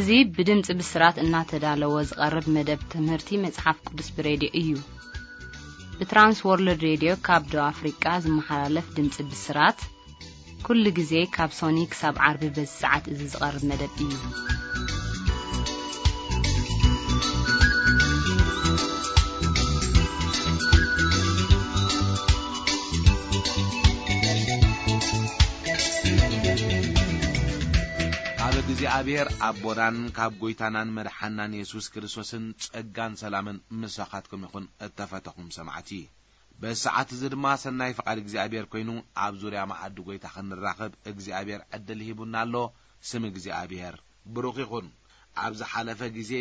እዚ ብድምጺ ብስራት እናተዳለወ ዝቐርብ መደብ ትምህርቲ መጽሓፍ ቅዱስ ብሬድዮ እዩ። ብትራንስ ወርልድ ሬድዮ ካብ ደቡብ ኣፍሪቃ ዝመሓላለፍ ድምጺ ብስራት፣ ኩሉ ግዜ ካብ ሶኒ ክሳብ ዓርቢ በዚ ሰዓት እዚ ዝቐርብ መደብ እዩ። ካብ እግዚኣብሔር ኣቦናን ካብ ጐይታናን መድሓናን የሱስ ክርስቶስን ጸጋን ሰላምን ምሳኻትኩም ይኹን፣ እተፈተኹም ሰማዕቲ። በዚ ሰዓት እዚ ድማ ሰናይ ፍቓድ እግዚኣብሔር ኮይኑ፣ ኣብ ዙርያ መኣዲ ጐይታ ክንራኸብ እግዚኣብሔር ዕድል ሂቡና ኣሎ። ስም እግዚኣብሔር ብሩኽ ይኹን። ኣብ ዝሓለፈ ግዜ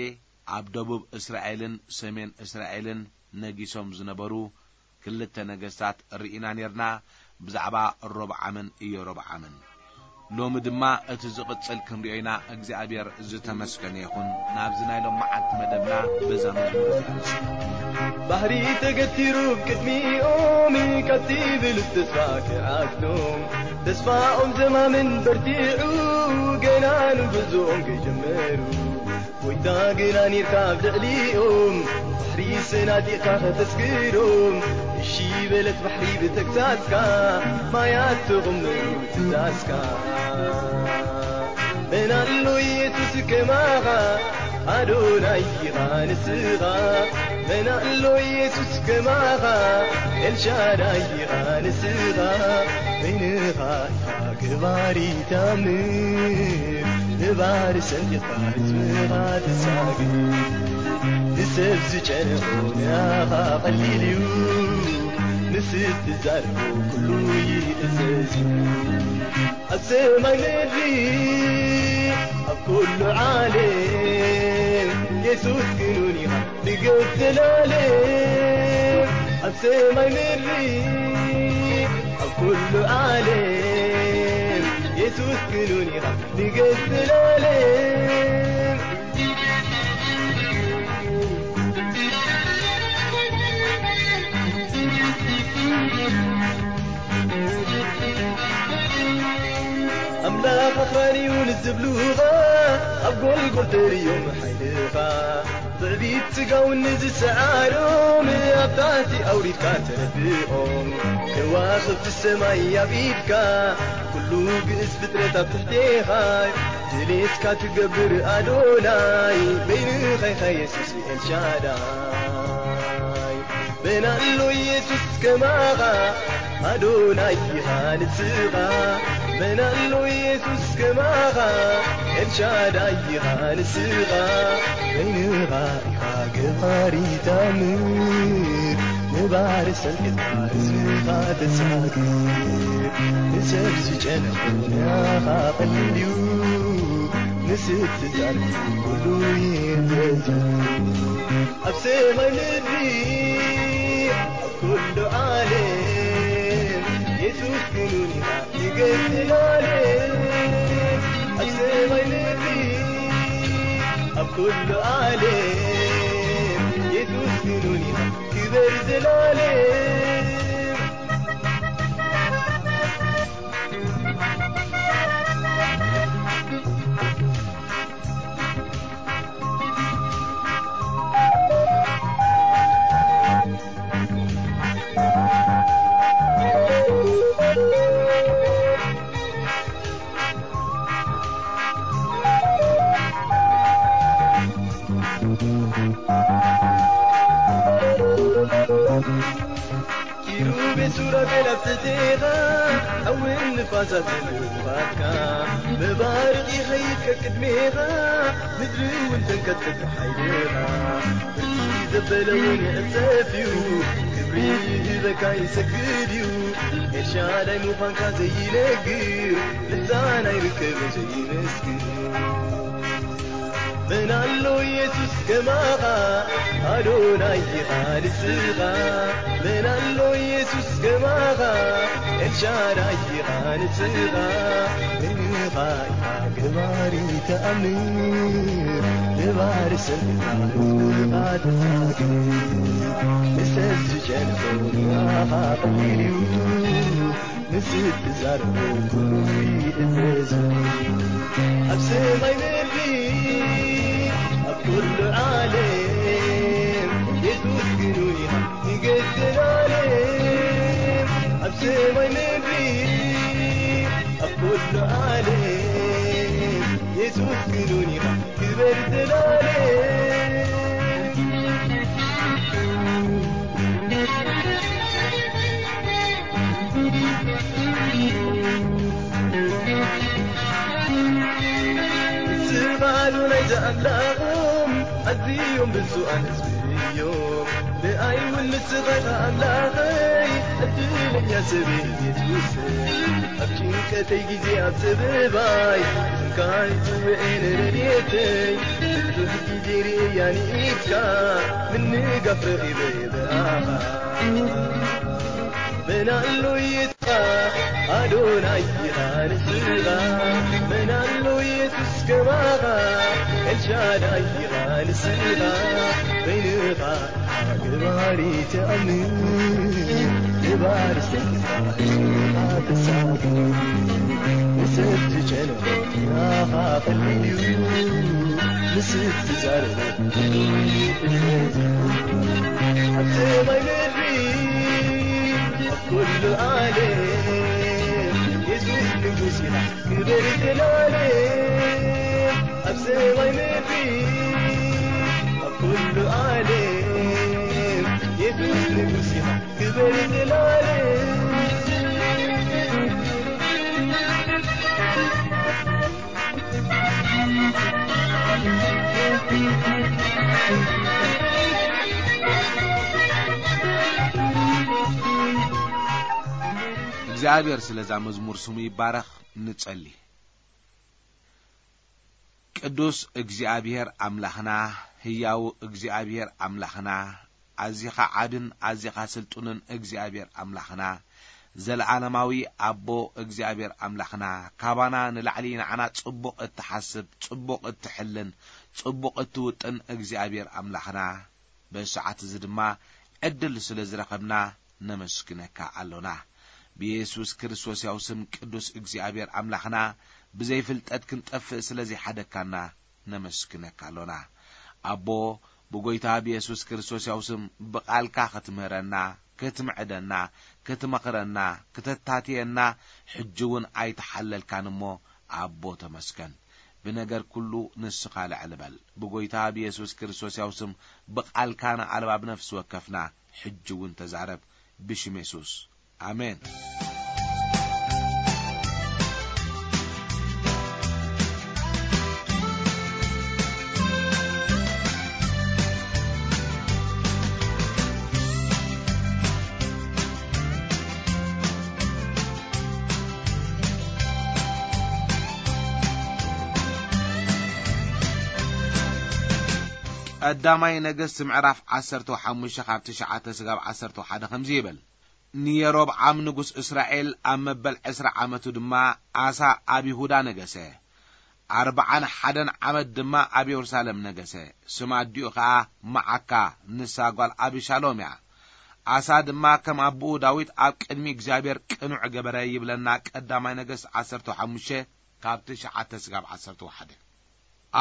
ኣብ ደቡብ እስራኤልን ሰሜን እስራኤልን ነጊሶም ዝነበሩ ክልተ ነገስታት ርኢና ኔርና፣ ብዛዕባ ሮብዓምን ኢዮሮብዓምን። ሎሚ ድማ እቲ ዝቕጽል ክንሪኦ ኢና። እግዚኣብሔር ዝተመስገነ ይኹን። ናብዚ ናይ ሎም መዓልቲ መደብና በዛ መዝሙር እዚኣ ንስማዕ። ባሕሪ ተገቲሩ ቅድሚኦም፣ ካብቲ ብሉጽ ተስፋ ክዓግቶም፣ ተስፋኦም ዘማምን በርቲዑ፣ ገና ንጉዕዞኦም ከይጀመሩ፣ ጎይታ ግና ኔርካ ኣብ ልዕሊኦም፣ ባሕሪ ሰናጢቕካ ከተስግሮም። እሺ በለት ባሕሪ ብተግሳጽካ፣ ማያት ተቐመሩ ትእዛዝካ። መን ኣሎ የሱስ ከማኻ፣ ኣዶናይ ኢኻ ንስኻ። መን ኣሎ የሱስ ከማኻ፣ ኤልሻዳይ ኢኻ ንስኻ። በይንኻ ገባሪ ተኣምር፣ ንባህሪ ሰንጢቕካ ህዝብኻ ትሳግር። ንሰብ ዝጨነቖ ንኣኻ ቀሊል እዩ፣ ንስብ ትዛረቦ ኩሉ ይእዘዝ እዩ። ኣብ ሰማይ ምድሪ ኣብ ኩሉ ዓለም የሱስ ክንውን ኢኻ። ንገስ ዘላለም ኣብ ሰማይ ምድሪ ኣብ ኩሉ ዓለም የሱስ ክንውን ኢኻ። ንገስ ዘላለም ኣምላኽ ኣኽራን እዩ ንዝብሉኻ፣ ኣብ ጎልጎል ተርእዮም ሓይልኻ። ትዕቢት ስጋውን ንዝሰዓሮም ኣብ ታሕቲ ኣውሪድካ ተረድኦም። ከዋኽብቲ ሰማይ ኣብ ኢድካ፣ ኩሉ ግእዝ ፍጥረት ኣብ ትሕቴኻ። ድሌትካ ትገብር ኣዶናይ፣ በይንኻ ኢኻ የሱስ ኤልሻዳይ። መን ኣሎ የሱስ ከማኻ፣ ኣዶናይ ኢኻ ንስኻ። መን ኣሎ የሱስ ከማኻ፣ ኤልሻዳይ ኢኻ ንስኻ። በይንኻ ኢኻ ገባሪ ተኣምር፣ ንባህሪ ሰንጢቕካ ህዝብኻ ተሳግር። ንሰብ ዝጨነቑ ንኣኻ ቀሊል እዩ፣ ንስብ ትዛረብ ኩሉ ይእዘዝ። ኣብ ሰማይ ምድሪ ኣብ ኩሉ ዓለም የሱስ ክንውን ኢና ንገስ ዘላለም። ኣብ ሰማይ ምድሪ ኣብ ኩሉ ዓለም የሱስ ክንውን ኢና ክበር ዘላለም። ኪሩቤል ሱራፌል ኣብ ትሕቴኻ፣ ሓውን ንፋሳትን ብቕዓትካ፣ መባርቕ ይኸይድ ከቅድሜኻ፣ ምድሪ እውን ተንቀጥቅጥ ብሓይልኻ። ብርኪ ዘበለ እውን ይዕጸፍ እዩ፣ ክብሪ ይህበካ ይሰግድ እዩ። ኤልሻዳይ ምዃንካ ዘይነግር፣ ልሳን ኣይርከብን ዘይመስክር። መን ኣሎ የሱስ ከማኻ፣ ኣዶናይ ኢኻ ንስኻ። መን ኣሎ የሱስ ከማኻ፣ ኤልሻዳይ ኢኻ ንስኻ። በይንኻ ኢኻ ገባሪ ተኣምር፣ ንባህሪ ሰንጢቕካ ህዝብኻ ተሳግር። ንሰብ ዝጨነቖ ንኣኻ ቀሊል እዩ፣ ንስብ ትዛረቦ ኩሉ ይእዘዝ። ኣብ ሰማይ ምድሪ ኣብ ኩሉ ዓለም የሱስ ግኑን ኢኻ ንገዘላለም ኣብ ሰማይ ምድሪ ኣብ ኩሉ ዓለም የሱስ ግኑን ኢኻ ክበር ዘላለም። ስቓሉ ናይ ኣምላኾም ኣዝዮም ብፁዓን ህዝቢ እዮም። ንኣይ እውን ንስኻ ኢኻ ኣምላኸይ ዕድለኛ ሰብ እየ የሱሰይ። ኣብ ጭንቀተይ ግዜ ኣብ ጸበባይ ስምካ ይጽውዕ እየ ንረድኤተይ። ብዙሕ ግዜ ርእየያ ንኢድካ ምንጋፍ ረኺበ ብኣኻ። መን ኣሎ የትኻ ኣዶናይ ኢኻ ንስኻ። መን ኣሎ የሱስ ከማኻ ኤልሻዳይ ኢኻ ንስኻ። በይንኻ ግባሪ ተኣምን ግባሪ ሰንካ ተሳብ ንሰብ ዝጨነቐ ናኻ ፈልዩ ንስብ ዝዛረበ ኣብ ሰማይ ምድሪ ኣብ ኩሉ ዓለም የሱስ ንጉስ ኢና ክብር ዘላለም። ኣብ ሰማይ ምድሪ ኣብ ኩሉ ዓለም የሱስ ንጉስ ኢና ክብር ዘላለም። እግዚኣብሔር ስለዛ መዝሙር ስሙ ይባረኽ። ንጸሊ። ቅዱስ እግዚኣብሔር ኣምላኽና፣ ህያው እግዚኣብሔር ኣምላኽና፣ ኣዚኻ ዓብን ኣዚኻ ስልጡንን እግዚኣብሔር ኣምላኽና፣ ዘለዓለማዊ ኣቦ እግዚኣብሔር ኣምላኽና፣ ካባና ንላዕሊ ንዓና ጽቡቕ እትሓስብ፣ ጽቡቕ እትሕልን፣ ጽቡቕ እትውጥን እግዚኣብሔር ኣምላኽና፣ በዚ ሰዓት እዚ ድማ ዕድል ስለ ዝረኸብና ነመስግነካ ኣሎና። ብየሱስ ክርስቶስ ያው ስም ቅዱስ እግዚኣብሔር ኣምላኽና፣ ብዘይፍልጠት ክንጠፍእ ስለ ዘይሓደግካና ነመስግነካ ኣሎና። ኣቦ፣ ብጎይታ ብየሱስ ክርስቶስ ያው ስም ብቓልካ ክትምህረና፣ ክትምዕደና፣ ክትመኽረና፣ ክተታትየና ሕጂ እውን ኣይተሓለልካን እሞ ኣቦ ተመስገን። ብነገር ኩሉ ንስኻ ልዕል በል። ብጎይታ ብየሱስ ክርስቶስ ያው ስም ብቓልካ ንኣልባብ ነፍሲ ወከፍና ሕጂ እውን ተዛረብ። ብሽም የሱስ። ኣሜን። ቀዳማይ ነገስት ምዕራፍ ዓሰርተ ሓሙሽተ ካብ ትሽዓተ ስጋብ ዓሰርተ ሓደ ከምዚ ይብል። ንየሮብዓም ንጉስ እስራኤል ኣብ መበል ዕስራ ዓመቱ ድማ ኣሳ ኣብ ይሁዳ ነገሰ። ኣርብዓን ሓደን ዓመት ድማ ኣብ የሩሳሌም ነገሰ። ስም ኣዲኡ ኸኣ መዓካ፣ ንሳ ጓል ኣቢሻሎም እያ። ኣሳ ድማ ከም ኣቦኡ ዳዊት ኣብ ቅድሚ እግዚኣብሔር ቅኑዕ ገበረ ይብለና ቀዳማይ ነገስት ዓሰርተ ሓሙሽተ ካብ ትሽዓተ ስጋብ ዓሰርተ ሓደ።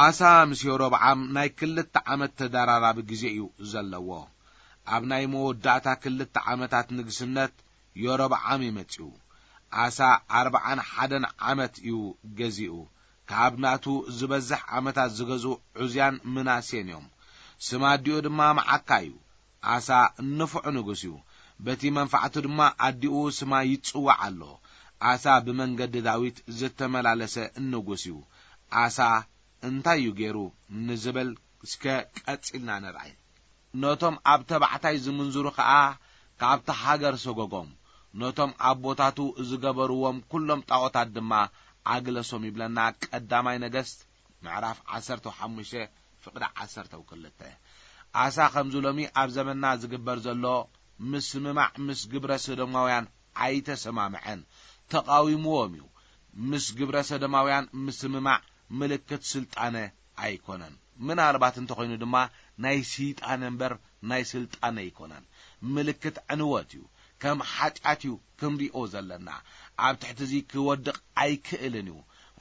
ኣሳ ምስ የሮብዓም ናይ ክልተ ዓመት ተደራራቢ ግዜ እዩ ዘለዎ። ኣብ ናይ መወዳእታ ክልተ ዓመታት ንግስነት የሮብዓም እዩ መጺኡ። ኣሳ ኣርብዓን ሓደን ዓመት እዩ ገዚኡ። ካብ ናቱ ዝበዝሕ ዓመታት ዝገዝኡ ዑዝያን ምናሴን እዮም። ስም ኣዲኡ ድማ መዓካ እዩ። ኣሳ ንፉዕ ንጉስ እዩ። በቲ መንፋዕቱ ድማ ኣዲኡ ስማ ይጽዋዕ ኣሎ። ኣሳ ብመንገዲ ዳዊት ዝተመላለሰ ንጉስ እዩ። ኣሳ እንታይ እዩ ገይሩ ንዝብል እስከ ቀጺልና ንርኣይ። ነቶም ኣብ ተባዕታይ ዝምንዝሩ ኸኣ ካብቲ ሃገር ሰጎጎም። ነቶም ኣቦታቱ ዝገበርዎም ኩሎም ጣዖታት ድማ ኣግለሶም ይብለና ቀዳማይ ነገስት ምዕራፍ ዓሰርተ ሓሙሽተ ፍቕዲ ዓሰርተ ክልተ። ኣሳ ከምዚ ሎሚ ኣብ ዘመንና ዝግበር ዘሎ ምስምማዕ ምስ ግብረ ሰዶማውያን ኣይተሰማምዐን፣ ተቓዊምዎም እዩ። ምስ ግብረ ሰዶማውያን ምስምማዕ ምልክት ስልጣነ ኣይኮነን። ምናልባት እንተኾይኑ ድማ ናይ ስይጣነ እምበር ናይ ስልጣነ ኣይኮነን። ምልክት ዕንወት እዩ። ከም ሓጢኣት እዩ ክንሪኦ ዘለና። ኣብ ትሕቲ እዚ ክወድቕ ኣይክእልን እዩ።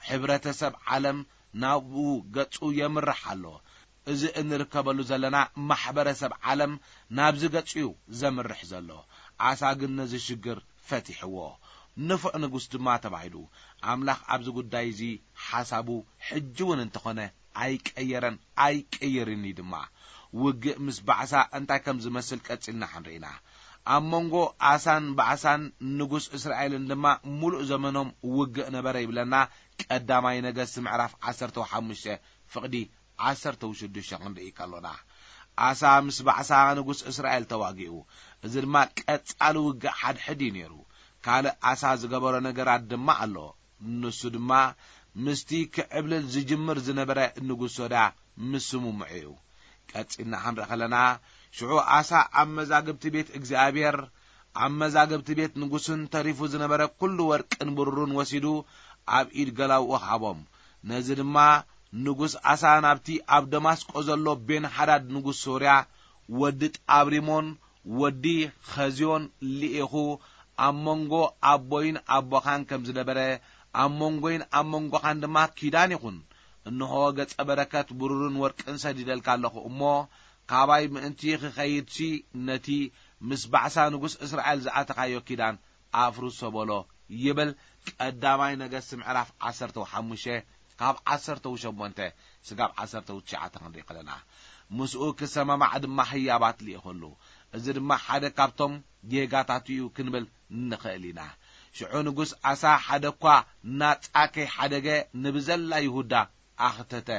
ሕብረተሰብ ዓለም ናብኡ ገጹ የምርሕ ኣሎ። እዚ እንርከበሉ ዘለና ማሕበረሰብ ዓለም ናብዚ ገጹ እዩ ዘምርሕ ዘሎ። ኣሳ ግን ነዚ ሽግር ፈቲሕዎ። ንፉዕ ንጉስ ድማ ተባሂሉ። ኣምላኽ ኣብዚ ጉዳይ እዚ ሓሳቡ ሕጂ እውን እንተኾነ ኣይቀየረን፣ ኣይቀይርን እዩ ድማ። ውግእ ምስ ባዕሳ እንታይ ከም ዝመስል ቀጺልና ክንርኢ ኢና። ኣብ መንጎ ኣሳን ባዕሳን ንጉስ እስራኤልን ድማ ምሉእ ዘመኖም ውግእ ነበረ ይብለና ቀዳማይ ነገስት ምዕራፍ ዓሰርተ ሓሙሽተ ፍቕዲ ዓሰርተ ሽዱሽተ ክንርኢ ከሎና፣ ኣሳ ምስ ባዕሳ ንጉስ እስራኤል ተዋጊኡ። እዚ ድማ ቀጻሊ ውግእ ሓድሕድ እዩ ነይሩ። ካልእ ኣሳ ዝገበሮ ነገራት ድማ ኣሎ። ንሱ ድማ ምስቲ ክዕብልል ዝጅምር ዝነበረ ንጉስ ሶርያ ምስምምዑ እዩ። ቀጺልና ክንርኢ ከለና፣ ሽዑ ኣሳ ኣብ መዛግብቲ ቤት እግዚኣብሔር፣ ኣብ መዛግብቲ ቤት ንጉስን ተሪፉ ዝነበረ ኩሉ ወርቅን ብሩርን ወሲዱ ኣብ ኢድ ገላውኡ ሃቦም። ነዚ ድማ ንጉስ ኣሳ ናብቲ ኣብ ደማስቆ ዘሎ ቤን ሓዳድ ንጉስ ሶርያ፣ ወዲ ጣብሪሞን ወዲ ኸዝዮን ልኢኹ፣ ኣብ መንጎ ኣቦይን ኣቦኻን ከም ዝነበረ፣ ኣብ መንጎይን ኣብ መንጎኻን ድማ ኪዳን ይኹን። እንሆ፣ ገጸ በረከት ብሩርን ወርቅን ሰዲደልካ ኣለኹ እሞ፣ ካባይ ምእንቲ ክኸይድሲ፣ ነቲ ምስ ባዕሳ ንጉስ እስራኤል ዝኣተኻዮ ኪዳን ኣፍርሶ በሎ፣ ይብል ቀዳማይ ነገስት ምዕራፍ ዓሰርተ ሓሙሽተ ካብ ዓሰርተ ሸሞንተ ስጋብ ዓሰርተ ትሽዓተ ክንርኢ ከለና፣ ምስኡ ክሰማማዕ ድማ ህያባት ልኢኸሉ። እዚ ድማ ሓደ ካብቶም ጌጋታቱ እዩ ክንብል ንኽእል ኢና። ሽዑ ንጉስ ኣሳ ሓደ እኳ ናጻ ከይሓደገ ንብዘላ ይሁዳ ኣኽተተ።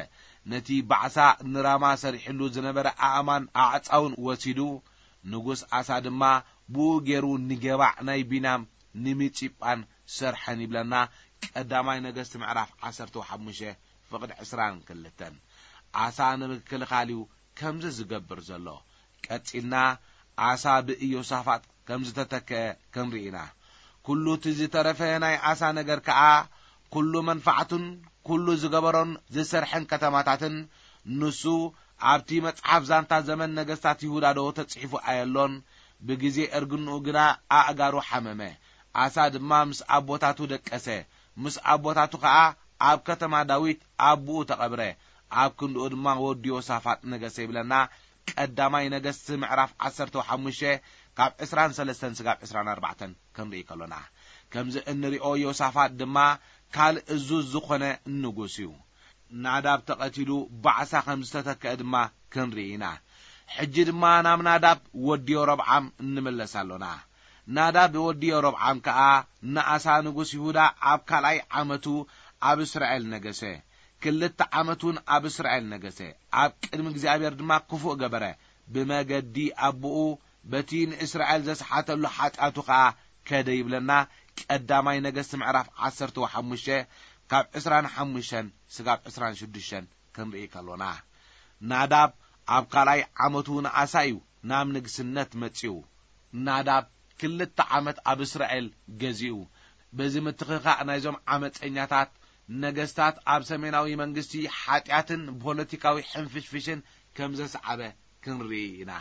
ነቲ ባዕሳ ንራማ ሰሪሕሉ ዝነበረ ኣእማን ኣዕጻውን ወሲዱ፣ ንጉስ ኣሳ ድማ ብኡ ገይሩ ንገባዕ ናይ ቢንያም፣ ንሚጺጳን ሰርሐን ይብለና ቀዳማይ ነገስት ምዕራፍ ዓሰርተ ሓሙሽተ ፍቕዲ ዕስራን ክልተን። ኣሳ ንምክልኻል እዩ ከምዚ ዝገብር ዘሎ። ቀጺልና ኣሳ ብኢዮሳፋጥ ከም ዝተተክአ ክንርኢ ኢና። ኩሉ እቲ ዝተረፈ ናይ ኣሳ ነገር ከኣ፣ ኩሉ መንፋዕቱን ኩሉ ዝገበሮን ዝሰርሐን ከተማታትን፣ ንሱ ኣብቲ መጽሓፍ ዛንታ ዘመን ነገስታት ይሁዳ ዶ ተጽሒፉ ኣየሎን? ብግዜ እርግንኡ ግና ኣእጋሩ ሓመመ። ኣሳ ድማ ምስ ኣቦታቱ ደቀሰ። ምስ ኣቦታቱ ኸኣ ኣብ ከተማ ዳዊት ኣቦኡ ተቐብረ። ኣብ ክንድኡ ድማ ወዲ ዮሳፋጥ ነገሰ ይብለና። ቀዳማይ ነገስት ምዕራፍ ዓሰርተ ሓሙሽተ ካብ ዕስራን ሰለስተን ስጋብ ዕስራን ኣርባዕተን ክንርኢ ከሎና፣ ከምዚ እንሪኦ ዮሳፋጥ ድማ ካልእ እዙዝ ዝኾነ ንጉስ እዩ። ናዳብ ተቐቲሉ ባዕሳ ከም ዝተተክአ ድማ ክንርኢ ኢና። ሕጂ ድማ ናብ ናዳብ ወዲ ዮሮብዓም እንምለስ ኣሎና። ናዳብ ወዲ ዮሮብዓም ከኣ ንኣሳ ንጉስ ይሁዳ ኣብ ካልኣይ ዓመቱ ኣብ እስራኤል ነገሰ። ክልተ ዓመት እውን ኣብ እስራኤል ነገሰ። ኣብ ቅድሚ እግዚኣብሔር ድማ ክፉእ ገበረ። ብመገዲ ኣቦኡ በቲ ንእስራኤል ዘስሓተሉ ሓጢኣቱ ኸኣ ከደ ይብለና። ቀዳማይ ነገስት ምዕራፍ ዓሰርተ ሓሙሽተ ካብ ዕስራን ሓሙሽተን ስጋብ ዕስራን ሽዱሽተን ክንርኢ ከሎና፣ ናዳብ ኣብ ካልኣይ ዓመቱ ንኣሳ እዩ ናብ ንግስነት መጺኡ። ናዳብ ክልተ ዓመት ኣብ እስራኤል ገዚኡ። በዚ ምትኽኻእ ናይዞም ዓመፀኛታት ነገስታት ኣብ ሰሜናዊ መንግስቲ ሓጢኣትን ፖለቲካዊ ሕንፍሽፍሽን ከም ዘስዓበ ክንርኢ ኢና።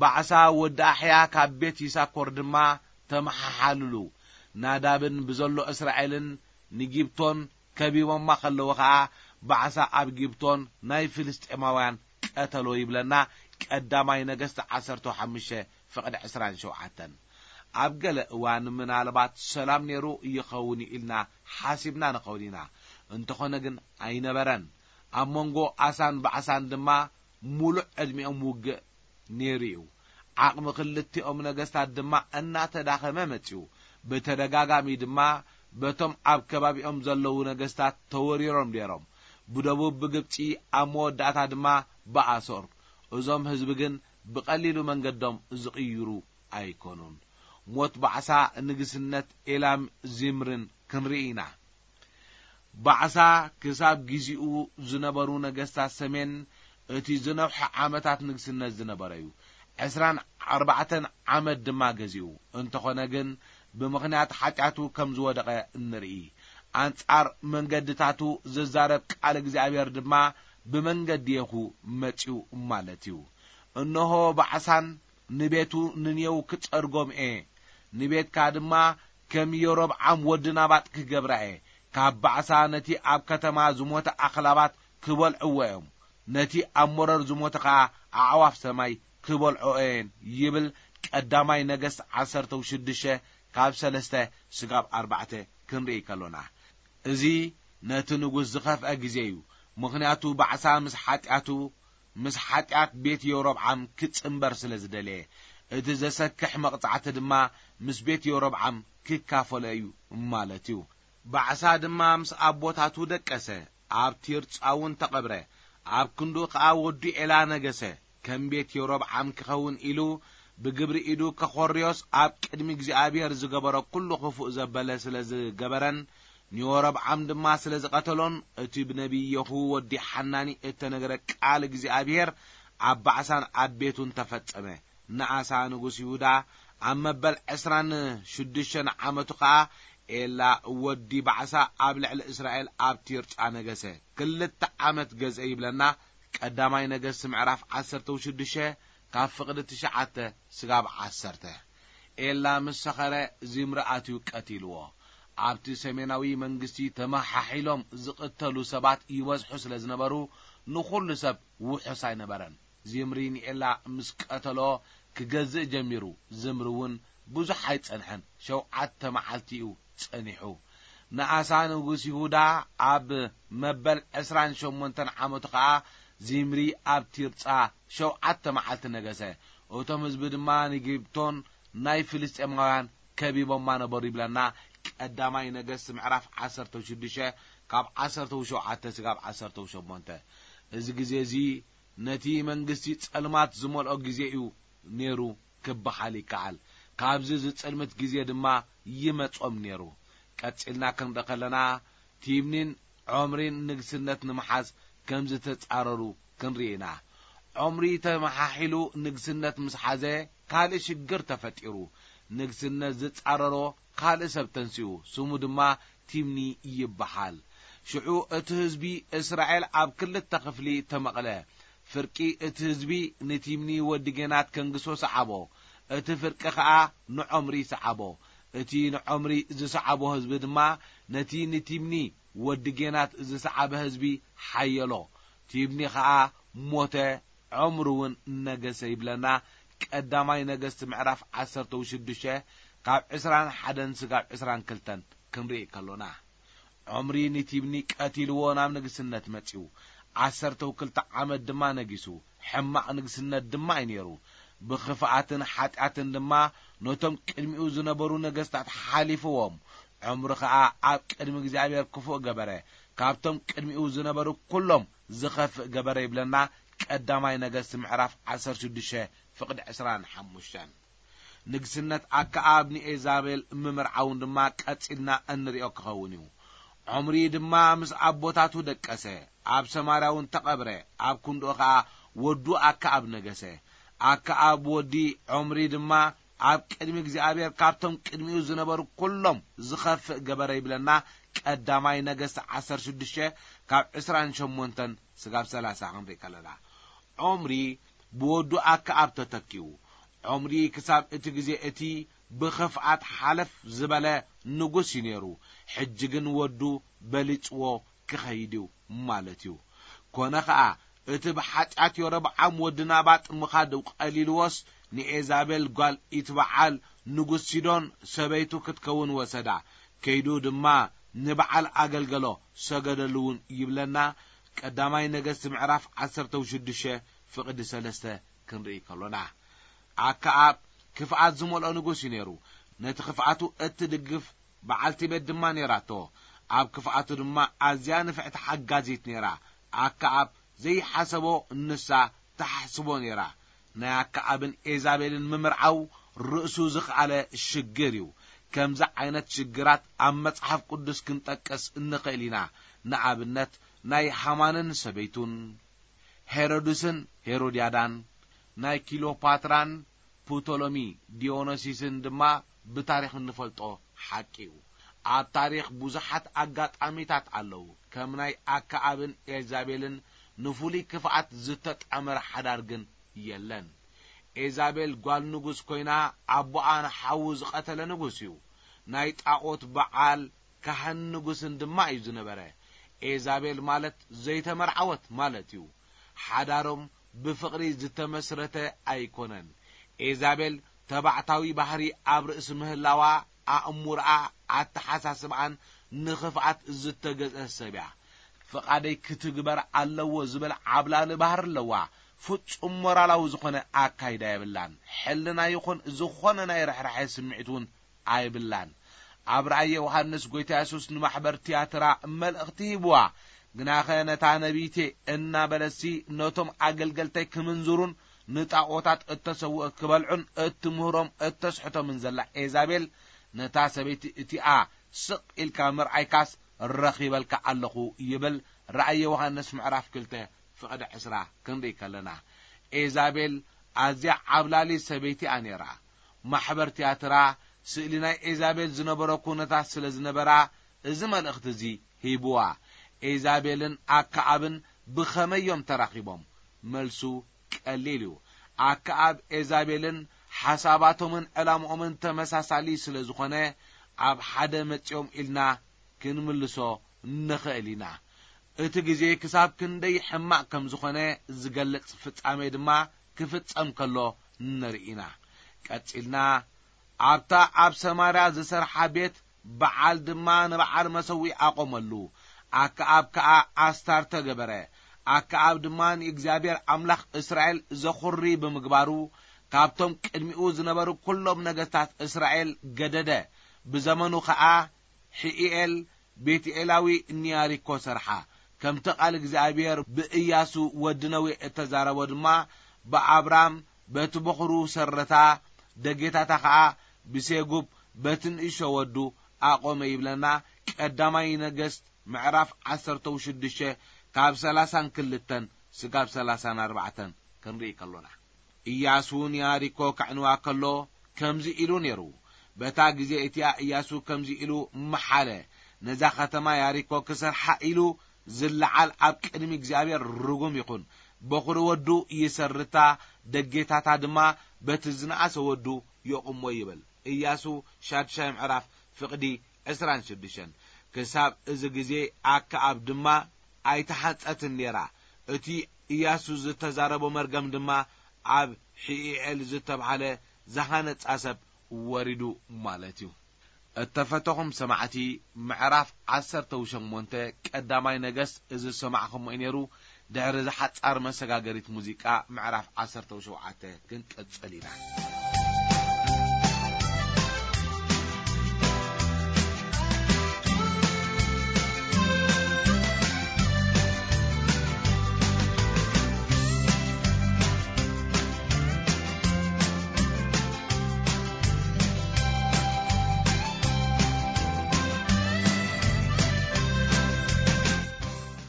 ባዕሳ ወዲ ኣሕያ ካብ ቤት ይሳኮር ድማ ተመሓሓልሉ። ናዳብን ብዘሎ እስራኤልን ንጊብቶን ከቢቦማ ከለዉ ኸኣ፣ ባዕሳ ኣብ ጊብቶን ናይ ፍልስጤማውያን ቀተሎ ይብለና ቀዳማይ ነገስት ዓሰርተ ሓሙሽተ ፍቕዲ ዕስራን ሸውዓተን። ኣብ ገለ እዋን ምናልባት ሰላም ነይሩ ይኸውን ኢልና ሓሲብና ንኸውን ኢና። እንተኾነ ግን ኣይነበረን። ኣብ መንጎ ኣሳን ባዕሳን ድማ ሙሉእ ዕድሚኦም ውግእ ነይሩ እዩ። ዓቕሚ ክልቲኦም ነገስታት ድማ እናተዳኸመ መጺኡ። ብተደጋጋሚ ድማ በቶም ኣብ ከባቢኦም ዘለዉ ነገስታት ተወሪሮም ነይሮም። ብደቡብ ብግብጺ፣ ኣብ መወዳእታ ድማ ብኣሶር። እዞም ህዝቢ ግን ብቐሊሉ መንገዶም ዝቕይሩ ኣይኮኑን። ሞት ባዕሳ ንግስነት ኤላም ዚምርን ክንርኢ ኢና። ባዕሳ ክሳብ ግዚኡ ዝነበሩ ነገስታት ሰሜን እቲ ዝነውሐ ዓመታት ንግስነት ዝነበረ እዩ። ዕስራን ኣርባዕተን ዓመት ድማ ገዚኡ። እንተኾነ ግን ብምኽንያት ሓጢኣቱ ከም ዝወደቐ እንርኢ። ኣንጻር መንገድታቱ ዝዛረብ ቃል እግዚኣብሔር ድማ ብመንገዲ የኹ መጺኡ ማለት እዩ። እንሆ ባዕሳን ንቤቱ ንኔው ክጸርጎም እየ፣ ንቤትካ ድማ ከም የሮብዓም ወዲ ናባጥ ክገብራ እየ፣ ካብ ባዕሳ ነቲ ኣብ ከተማ ዝሞተ ኣኽላባት ክበልዕዎ እዮም፣ ነቲ ኣብ መረር ዝሞተ ኸኣ ኣዕዋፍ ሰማይ ክበልዕኦ እየን ይብል ቀዳማይ ነገስት ዓሰርተ ሽዱሽተ ካብ ሰለስተ ስጋብ ኣርባዕተ ክንርኢ ከሎና። እዚ ነቲ ንጉስ ዝኸፍአ ግዜ እዩ። ምኽንያቱ ባዕሳ ምስ ሓጢኣቱ፣ ምስ ሓጢኣት ቤት የሮብዓም ክጽንበር ስለ ዝደለየ፣ እቲ ዘሰክሕ መቕጻዕቲ ድማ ምስ ቤት የሮብዓም ክካፈሎ እዩ ማለት እዩ። ባዕሳ ድማ ምስ ኣቦታቱ ደቀሰ፣ ኣብ ቲርጻ እውን ተቐብረ። ኣብ ክንድኡ ኸኣ ወዱ ኤላ ነገሰ። ከም ቤት የሮብዓም ክኸውን ኢሉ ብግብሪ ኢዱ ከኾርዮስ ኣብ ቅድሚ እግዚኣብሔር ዝገበሮ ኩሉ ክፉእ ዘበለ ስለ ዝገበረን ንዮሮብዓም ድማ ስለ ዝቐተሎን እቲ ብነቢይ የኹ ወዲ ሓናኒ እተነገረ ቃል እግዚኣብሔር ኣብ ባዕሳን ኣብ ቤቱን ተፈጸመ። ንኣሳ ንጉስ ይሁዳ ኣብ መበል ዕስራን ሽዱሽተን ዓመቱ ኸኣ ኤላ ወዲ ባዕሳ ኣብ ልዕሊ እስራኤል ኣብ ቲርጻ ነገሰ። ክልተ ዓመት ገዝአ ይብለና ቀዳማይ ነገስት ምዕራፍ ዓሰርተ ሽዱሽተ ካብ ፍቕዲ ትሽዓተ ስጋብ ዓሰርተ። ኤላ ምስ ሰኸረ ዚምሪ ኣትዩ ቀቲልዎ። ኣብቲ ሰሜናዊ መንግስቲ ተመሓሒሎም ዝቕተሉ ሰባት ይበዝሑ ስለ ዝነበሩ ንኹሉ ሰብ ውሑስ ኣይነበረን። ዚምሪ ንኤላ ምስ ቀተሎ ክገዝእ ጀሚሩ። ዝምሪ እውን ብዙሕ ኣይጸንሐን፣ ሸውዓተ መዓልቲ እዩ ጸኒሑ። ንኣሳ ንጉስ ይሁዳ ኣብ መበል ዕስራን ሸሞንተን ዓመቱ ኸኣ ዚምሪ ኣብ ቲርጻ ሸውዓተ መዓልቲ ነገሰ። እቶም ህዝቢ ድማ ንጊብቶን ናይ ፍልስጤማውያን ከቢቦማ ነበሩ ይብለና ቀዳማይ ነገስት ምዕራፍ ዓሰርተ ሽዱሽተ ካብ ዓሰርተ ሸውዓተ ስጋብ ዓሰርተ ሸሞንተ። እዚ ግዜ እዚ ነቲ መንግስቲ ጸልማት ዝመልኦ ግዜ እዩ ነይሩ ክበሃል ይከኣል። ካብዚ ዝጽልምት ግዜ ድማ ይመጾም ነይሩ። ቀጺልና ክንርኢ ከለና ቲብኒን ዖምሪን ንግስነት ንምሓዝ ከም ዝተጻረሩ ክንርኢ ኢና። ዖምሪ ተመሓሒሉ ንግስነት ምስ ሓዘ ካልእ ሽግር ተፈጢሩ። ንግስነት ዝጻረሮ ካልእ ሰብ ተንሲኡ፣ ስሙ ድማ ቲምኒ ይበሃል። ሽዑ እቲ ህዝቢ እስራኤል ኣብ ክልተ ክፍሊ ተመቕለ። ፍርቂ እቲ ህዝቢ ንቲምኒ ወዲ ጌናት ከንግሶ ሰዓቦ፣ እቲ ፍርቂ ኸኣ ንዖምሪ ሰዓቦ። እቲ ንዖምሪ ዝሰዓቦ ህዝቢ ድማ ነቲ ንቲምኒ ወዲ ጌናት ዝሰዓበ ህዝቢ ሓየሎ። ቲምኒ ኸኣ ሞተ፣ ዖምሪ እውን ነገሰ ይብለና። ቀዳማይ ነገስት ምዕራፍ ዓሰርተ ሽዱሽተ ካብ ዕስራን ሓደን ስጋብ ዕስራን ክልተን ክንርኢ ከሎና። ዖምሪ ንቲብኒ ቀቲልዎ ናብ ንግስነት መጺኡ። ዓሰርተ ክልተ ዓመት ድማ ነጊሱ። ሕማቕ ንግስነት ድማ እዩ ነይሩ። ብኽፍኣትን ሓጢኣትን ድማ ነቶም ቅድሚኡ ዝነበሩ ነገስታት ሓሊፍዎም። ዖምሪ ኸኣ ኣብ ቅድሚ እግዚኣብሔር ክፉእ ገበረ። ካብቶም ቅድሚኡ ዝነበሩ ኩሎም ዝኸፍእ ገበረ ይብለና ቀዳማይ ነገስት ምዕራፍ ዓሰርተ ሽዱሽተ ፍቕዲ ዕስራን ሓሙሽተን። ንግስነት ኣከኣብ ንኤዛቤል ምምርዓውን ድማ ቀጺልና እንርእዮ ክኸውን እዩ። ዖምሪ ድማ ምስ ኣቦታቱ ደቀሰ፣ ኣብ ሰማርያ እውን ተቐብረ። ኣብ ክንድኡ ኸኣ ወዱ ኣከኣብ ነገሰ። ኣከኣብ ወዲ ዖምሪ ድማ ኣብ ቅድሚ እግዚኣብሔር ካብቶም ቅድሚኡ ዝነበሩ ኩሎም ዝኸፍእ ገበረ ይብለና ቀዳማይ ነገስት ዓሰርተ ሽዱሽተ ካብ ዕስራን ሸሞንተን ስጋብ ሰላሳ ክንርኢ ከለና። ዖምሪ ብወዱ ኣከኣብ ተተኪኡ። ዖምሪ ክሳብ እቲ ግዜ እቲ ብኽፍኣት ሓለፍ ዝበለ ንጉስ እዩ ነይሩ። ሕጂ ግን ወዱ በሊጽዎ ክኸይድ እዩ ማለት እዩ። ኮነ ኸኣ እቲ ብሓጢኣት የሮብዓም ወዲ ናባጥ ምኻድ ቀሊልዎስ ንኤዛቤል ጓል ኢትበዓል ንጉስ ሲዶን ሰበይቱ ክትከውን ወሰዳ። ከይዱ ድማ ንበዓል ኣገልገሎ ሰገደሉ እውን ይብለና ቀዳማይ ነገስት ምዕራፍ ዓሰርተ ሽዱሽተ ፍቕዲ ሰለስተ ክንርኢ ከሎና። ኣከኣብ ክፍኣት ዝመልኦ ንጉስ እዩ ነይሩ። ነቲ ክፍኣቱ እትድግፍ በዓልቲ ቤት ድማ ነይራቶ። ኣብ ክፍኣቱ ድማ ኣዝያ ንፍዕቲ ሓጋዚት ነይራ። ኣከኣብ ዘይሓሰቦ ንሳ ተሓስቦ ነይራ። ናይ ኣከኣብን ኤዛቤልን ምምርዓው ርእሱ ዝኸኣለ ሽግር እዩ። ከምዚ ዓይነት ሽግራት ኣብ መጽሓፍ ቅዱስ ክንጠቅስ እንኽእል ኢና። ንኣብነት ናይ ሃማንን ሰበይቱን፣ ሄሮድስን ሄሮድያዳን፣ ናይ ኪሎፓትራን ፕቶሎሚ ዲዮኖሲስን ድማ ብታሪኽ እንፈልጦ ሓቂ እዩ። ኣብ ታሪኽ ብዙሓት ኣጋጣሚታት ኣለዉ። ከም ናይ ኣከኣብን ኤልዛቤልን ንፍሉይ ክፍኣት ዝተጣመረ ሓዳር ግን የለን። ኤዛቤል ጓል ንጉስ ኮይና ኣቦኣ ንሓዉ ዝቐተለ ንጉስ እዩ። ናይ ጣዖት በዓል ካህን ንጉስን ድማ እዩ ዝነበረ። ኤዛቤል ማለት ዘይተመርዓወት ማለት እዩ። ሓዳሮም ብፍቕሪ ዝተመስረተ ኣይኮነን። ኤዛቤል ተባዕታዊ ባህሪ ኣብ ርእሲ ምህላዋ፣ ኣእምሮኣ፣ ኣተሓሳስባኣን ንኽፍኣት ዝተገዝአ ሰብ እያ። ፍቓደይ ክትግበር ኣለዎ ዝብል ዓብላሊ ባህሪ ኣለዋ። ፍጹም ሞራላዊ ዝኾነ ኣካይዳ የብላን። ሕልና ይኹን ዝኾነ ናይ ርሕራሐ ስምዒት እውን ኣይብላን። ኣብ ራእይ ዮሃንስ ጎይታ የሱስ ንማሕበር ትያትራ መልእኽቲ ሂብዋ። ግናኸ ነታ ነቢይቴ እናበለሲ ነቶም ኣገልገልተይ ክምንዝሩን ንጣኦታት እተሰውእ ክበልዑን እትምህሮም እተስሕቶምን ዘላ ኤዛቤል፣ ነታ ሰበይቲ እቲኣ ስቕ ኢልካ ምርኣይካስ ረኺበልካ ኣለኹ ይብል ራእይ ዮሃንስ ምዕራፍ ክልተ ፍቕዲ ዕስራ ክንርኢ ከለና። ኤዛቤል ኣዝያ ዓብላሊ ሰበይቲ እያ ነይራ። ማሕበር ትያትራ ስእሊ ናይ ኤዛቤል ዝነበሮ ኩነታት ስለ ዝነበራ፣ እዚ መልእኽቲ እዚ ሂብዋ። ኤዛቤልን ኣከኣብን ብኸመይ እዮም ተራኺቦም? መልሱ ቀሊል እዩ። ኣከኣብ ኤዛቤልን ሓሳባቶምን ዕላምኦምን ተመሳሳሊ ስለ ዝኾነ፣ ኣብ ሓደ መጺኦም ኢልና ክንምልሶ ንኽእል ኢና። እቲ ግዜ ክሳብ ክንደይ ሕማቕ ከም ዝኾነ ዝገልጽ ፍጻሜ ድማ ክፍጸም ከሎ ንርኢ ኢና። ቀጺልና ኣብታ ኣብ ሰማርያ ዝሰርሓ ቤት በዓል ድማ ንበዓል መሰውኢ ኣቖመሉ። ኣከኣብ ከኣ ኣስታርተ ገበረ። ኣከኣብ ድማ ንእግዚኣብሔር ኣምላኽ እስራኤል ዘኹሪ ብምግባሩ፣ ካብቶም ቅድሚኡ ዝነበሩ ኵሎም ነገስታት እስራኤል ገደደ። ብዘመኑ ኸኣ ሕኢኤል ቤትኤላዊ ንያሪኮ ሰርሓ። ከምቲ ቃል እግዚኣብሔር ብእያሱ ወዲ ነዌ እተዛረቦ ድማ ብኣብራም በቲ በኹሩ ሰረታ፣ ደጌታታ ኸኣ ብሴጉብ በቲ ንእሾ ወዱ ኣቖመ ይብለና። ቀዳማይ ነገስት ምዕራፍ ዓሰርተ ሽዱሽተ ካብ ሰላሳን ክልተን ስጋብ ሰላሳን ኣርባዕተን ክንርኢ ከሎና። ኢያሱ ንያሪኮ ከዕንዋ ከሎ ከምዚ ኢሉ ነይሩ። በታ ግዜ እቲኣ ኢያሱ ከምዚ ኢሉ መሓለ፣ ነዛ ኸተማ ያሪኮ ክሰርሓ ኢሉ ዝለዓል ኣብ ቅድሚ እግዚኣብሔር ርጉም ይኹን። በኹሪ ወዱ ይሰርታ፣ ደጌታታ ድማ በቲ ዝነኣሰ ወዱ የቑሞ ይብል። ኢያሱ ሻድሻይ ምዕራፍ ፍቕዲ ዕስራን ሽዱሽተን። ክሳብ እዚ ግዜ ኣከኣብ ድማ ኣይተሓንጸትን ነይራ። እቲ ኢያሱ ዝተዛረቦ መርገም ድማ ኣብ ሕኢኤል ዝተባህለ ዝሃነጻ ሰብ ወሪዱ ማለት እዩ። እተፈተኹም ሰማዕቲ፣ ምዕራፍ ዓሰርተ ሸሞንተ ቀዳማይ ነገስት እዚ ዝሰማዕኹሞ እዩ ነይሩ። ድሕሪ እዚ ሓጻር መሰጋገሪት ሙዚቃ ምዕራፍ ዓሰርተ ሸውዓተ ክንቅጽል ኢና።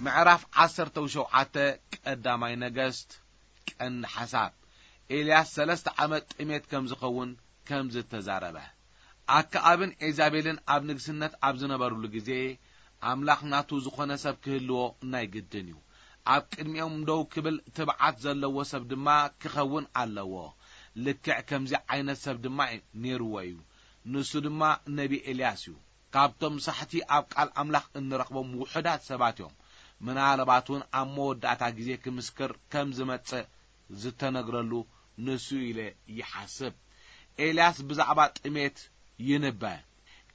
ምዕራፍ ዓሰርተ ሸውዓተ ቀዳማይ ነገስት። ቀንዲ ሓሳብ፣ ኤልያስ ሰለስተ ዓመት ጥሜት ከም ዝኸውን ከም ዝተዛረበ። ኣከኣብን ኤዛቤልን ኣብ ንግስነት ኣብ ዝነበሩሉ ግዜ፣ ኣምላኽ ናቱ ዝኾነ ሰብ ክህልዎ ናይ ግድን እዩ። ኣብ ቅድሚኦም ደው ክብል ትብዓት ዘለዎ ሰብ ድማ ክኸውን ኣለዎ። ልክዕ ከምዚ ዓይነት ሰብ ድማ ነይርዎ እዩ። ንሱ ድማ ነቢ ኤልያስ እዩ። ካብቶም ሳሕቲ ኣብ ቃል ኣምላኽ እንረኽቦም ውሑዳት ሰባት እዮም። ምናልባት እውን ኣብ መወዳእታ ግዜ ክምስክር ከም ዝመጽእ ዝተነግረሉ ንሱ ኢለ ይሓስብ። ኤልያስ ብዛዕባ ጥሜት ይንበ።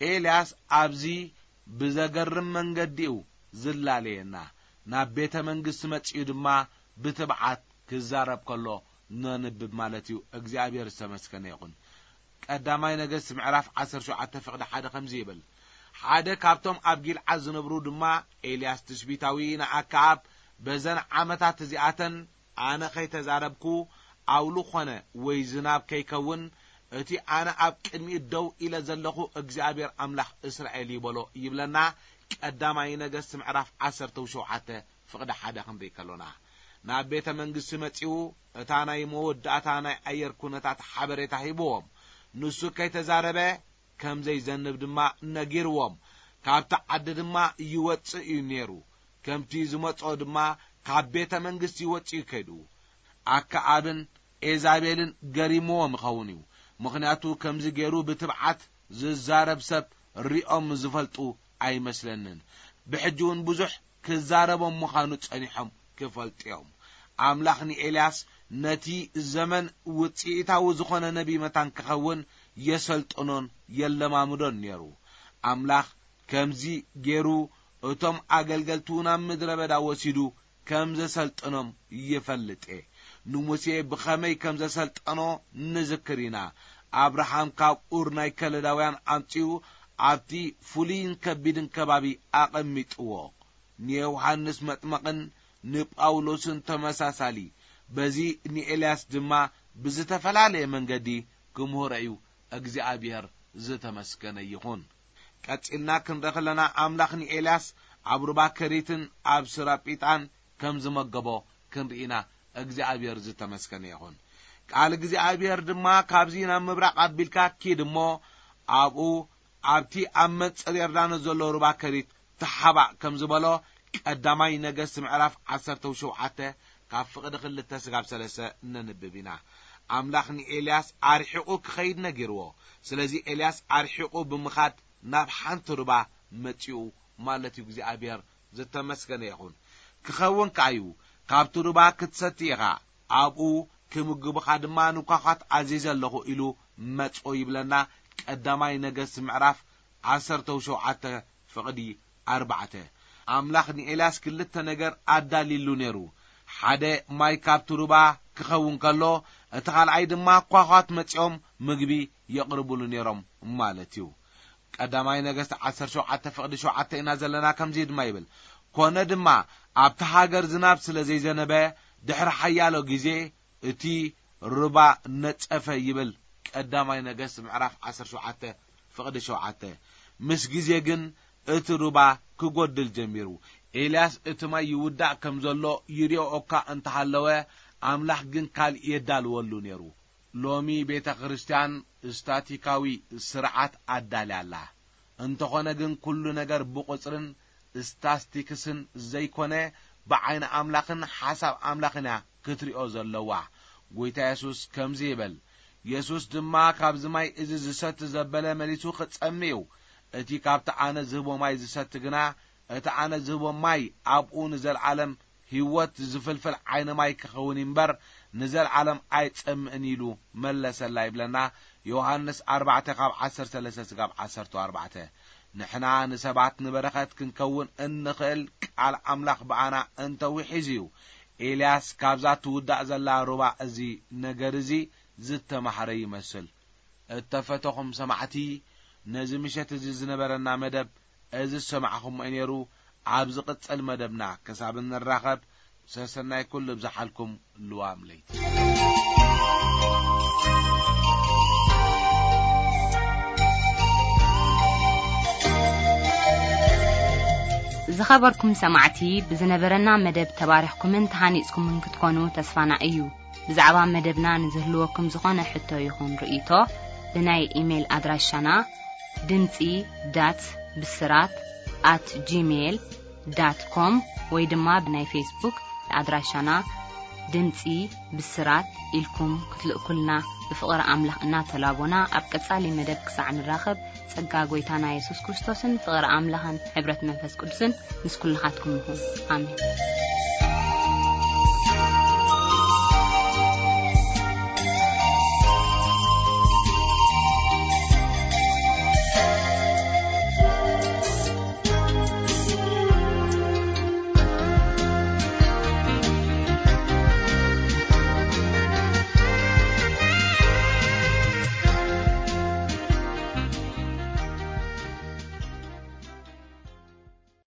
ኤልያስ ኣብዚ ብዘገርም መንገዲ'ዩ ዝላለየና። ናብ ቤተ መንግስቲ መጺኡ ድማ ብትብዓት ክዛረብ ከሎ ነንብብ ማለት እዩ። እግዚኣብሔር ዝተመስገነ ይኹን። ቀዳማይ ነገስት ምዕራፍ ዓሰርተ ሸውዓተ ፍቕዲ ሓደ ከምዚ ይብል፣ ሓደ ካብቶም ኣብ ጊልዓድ ዝነብሩ ድማ ኤልያስ ትሽቢታዊ ንኣከኣብ፣ በዘን ዓመታት እዚኣተን ኣነ ኸይተዛረብኩ፣ ኣውሊ ኾነ ወይ ዝናብ ከይከውን፣ እቲ ኣነ ኣብ ቅድሚኡ ደው ኢለ ዘለኹ እግዚኣብሔር ኣምላኽ እስራኤል እዩ በሎ ይብለና። ቀዳማይ ነገስት ምዕራፍ ዓሰርተ ሸውዓተ ፍቕዲ ሓደ ክንርኢ ከሎና፣ ናብ ቤተ መንግስቲ መጺኡ እታ ናይ መወዳእታ ናይ ኣየር ኩነታት ሓበሬታ ሂብዎም። ንሱ ከይተዛረበ ከም ዘይዘንብ ድማ ነጊርዎም። ካብቲ ዓዲ ድማ ይወጽእ እዩ ነይሩ። ከምቲ ዝመጾ ድማ ካብ ቤተ መንግስቲ ወጺኡ ከይዱ። ኣከኣብን ኤዛቤልን ገሪምዎም ይኸውን እዩ። ምኽንያቱ ከምዚ ገይሩ ብትብዓት ዝዛረብ ሰብ ሪኦም ዝፈልጡ ኣይመስለንን። ብሕጂ እውን ብዙሕ ክዛረቦም ምዃኑ ጸኒሖም ክፈልጡ እዮም። ኣምላኽ ንኤልያስ ነቲ ዘመን ውጽኢታዊ ዝኾነ ነቢ መታን ክኸውን የሰልጥኖን የለማምዶን ነይሩ። ኣምላኽ ከምዚ ገይሩ እቶም ኣገልገልቱ ናብ ምድረ በዳ ወሲዱ ከም ዘሰልጥኖም ይፈልጥ እየ። ንሙሴ ብኸመይ ከም ዘሰልጠኖ ንዝክር ኢና። ኣብርሃም ካብ ኡር ናይ ከለዳውያን ኣምጺኡ ኣብቲ ፍሉይን ከቢድን ከባቢ ኣቐሚጥዎ። ንዮሃንስ መጥመቕን ንጳውሎስን ተመሳሳሊ፣ በዚ ንኤልያስ ድማ ብዝተፈላለየ መንገዲ ክምህሮ እዩ። እግዚኣብሔር ዝተመስገነ ይኹን። ቀጺልና ክንርኢ ከለና ኣምላኽ ንኤልያስ ኣብ ሩባ ከሪትን ኣብ ስራጲጣን ከም ዝመገቦ ክንርኢና እግዚኣብሔር ዝተመስገነ ይኹን። ቃል እግዚኣብሔር ድማ ካብዚ ናብ ምብራቕ ኣቢልካ ኪድ እሞ ኣብኡ ኣብቲ ኣብ መንጽር ዮርዳኖስ ዘሎ ሩባ ከሪት ተሓባእ ከም ዝበሎ ቀዳማይ ነገስት ምዕራፍ ዓሰርተ ሸውዓተ ካብ ፍቕዲ ክልተ ስጋብ ሰለስተ ነንብብ ኢና። ኣምላኽ ንኤልያስ ኣርሒቑ ክኸይድ ነጊርዎ። ስለዚ ኤልያስ ኣርሒቑ ብምኻድ ናብ ሓንቲ ሩባ መጺኡ ማለት እዩ። እግዚኣብሔር ዝተመስገነ ይኹን። ክኸውን ከኣ እዩ። ካብቲ ሩባ ክትሰቲ ኢኻ፣ ኣብኡ ክምግቡኻ ድማ ንኳኳት ኣዚዘ ኣለኹ ኢሉ መጾ ይብለና። ቀዳማይ ነገስት ምዕራፍ ዓሰርተ ሸውዓተ ፍቕዲ ኣርባዕተ። ኣምላኽ ንኤልያስ ክልተ ነገር ኣዳሊሉ ነይሩ። ሓደ ማይ ካብቲ ሩባ ክኸውን ከሎ፣ እቲ ካልኣይ ድማ ኳኳት መጺኦም ምግቢ የቕርብሉ ነይሮም ማለት እዩ። ቀዳማይ ነገስት ዓሰርተ ሸውዓተ ፍቕዲ ሸውዓተ ኢና ዘለና። ከምዚ ድማ ይብል፣ ኮነ ድማ ኣብቲ ሃገር ዝናብ ስለ ዘይዘነበ ድሕሪ ሓያሎ ግዜ እቲ ሩባ ነጸፈ ይብል። ቀዳማይ ነገስት ምዕራፍ ዓሰርተ ሸውዓተ ፍቕዲ ሸውዓተ። ምስ ግዜ ግን እቲ ሩባ ክጎድል ጀሚሩ። ኤልያስ እቲ ማይ ይውዳእ ከም ዘሎ ይሪኦ እኳ እንተሃለወ፣ ኣምላኽ ግን ካልእ የዳልወሉ ነይሩ። ሎሚ ቤተ ክርስቲያን ስታቲካዊ ስርዓት ኣዳልያ ኣላ። እንተኾነ ግን ኩሉ ነገር ብቑጽርን ስታስቲክስን ዘይኮነ ብዓይኒ ኣምላኽን ሓሳብ ኣምላኽን እያ ክትሪኦ ዘለዋ። ጎይታ የሱስ ከምዚ ይብል፣ የሱስ ድማ ካብዚ ማይ እዚ ዝሰቲ ዘበለ መሊሱ ክጸሚ እዩ። እቲ ካብቲ ኣነ ዝህቦ ማይ ዝሰቲ ግና እቲ ኣነ ዝህቦ ማይ ኣብኡ ንዘለዓለም ህይወት ዝፍልፍል ዓይኒ ማይ ክኸውን እምበር ንዘለዓለም ኣይጸምእን ኢሉ መለሰላ ይብለና። ዮሃንስ ኣርባዕተ ካብ ዓሰርተ ሰለስተ ስጋብ ዓሰርተ ኣርባዕተ። ንሕና ንሰባት ንበረኸት ክንከውን እንኽእል ቃል ኣምላኽ ብኣና እንተውሒዙ እዩ። ኤልያስ ካብዛ ትውዳእ ዘላ ሩባ እዚ ነገር እዚ ዝተማህረ ይመስል። እተፈተኹም ሰማዕቲ፣ ነዚ ምሸት እዚ ዝነበረና መደብ እዚ ዝሰማዕኹምዎ እዩ ነይሩ። ኣብ ዝቕጽል መደብና ክሳብ እንራኸብ፣ ሰሰናይ ኩሉ ይብዝሓልኩም። ልዋም ለይቲ። ዝኸበርኩም ሰማዕቲ፣ ብዝነበረና መደብ ተባሪኽኩምን ተሃኒጽኩምን ክትኮኑ ተስፋና እዩ። ብዛዕባ መደብና ንዝህልወኩም ዝኾነ ሕቶ ይኹን ርእይቶ፣ ብናይ ኢሜይል ኣድራሻና ድምጺ ዳት ብስራት ኣት ጂሜይል ዳት ኮም ወይ ድማ ብናይ ፌስቡክ ኣድራሻና ድምጺ ብስራት ኢልኩም ክትልእኩልና ብፍቕሪ ኣምላኽ እናተላቦና፣ ኣብ ቀጻሊ መደብ ክሳዕ ንራኸብ፣ ጸጋ ጐይታና የሱስ ክርስቶስን ፍቕሪ ኣምላኽን ሕብረት መንፈስ ቅዱስን ምስ ኩልኻትኩም ይኹን። ኣሜን።